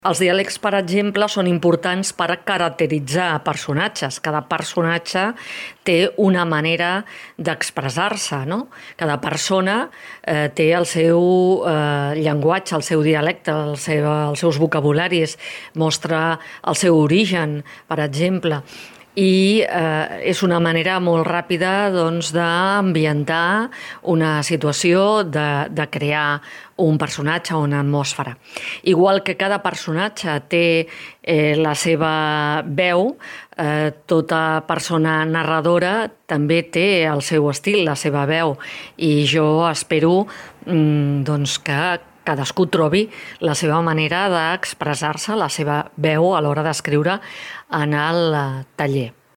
Els diàlegs, per exemple, són importants per caracteritzar personatges. Cada personatge té una manera d'expressar-se, no? Cada persona té el seu llenguatge, el seu dialecte, els seus vocabularis, mostra el seu origen, per exemple. I és una manera molt ràpida d'ambientar una situació, de crear un personatge o una atmosfera. Igual que cada personatge té la seva veu, tota persona narradora també té el seu estil, la seva veu, i jo espero que cadascú trobi la seva manera d'expressar-se, la seva veu a l'hora d'escriure en el taller.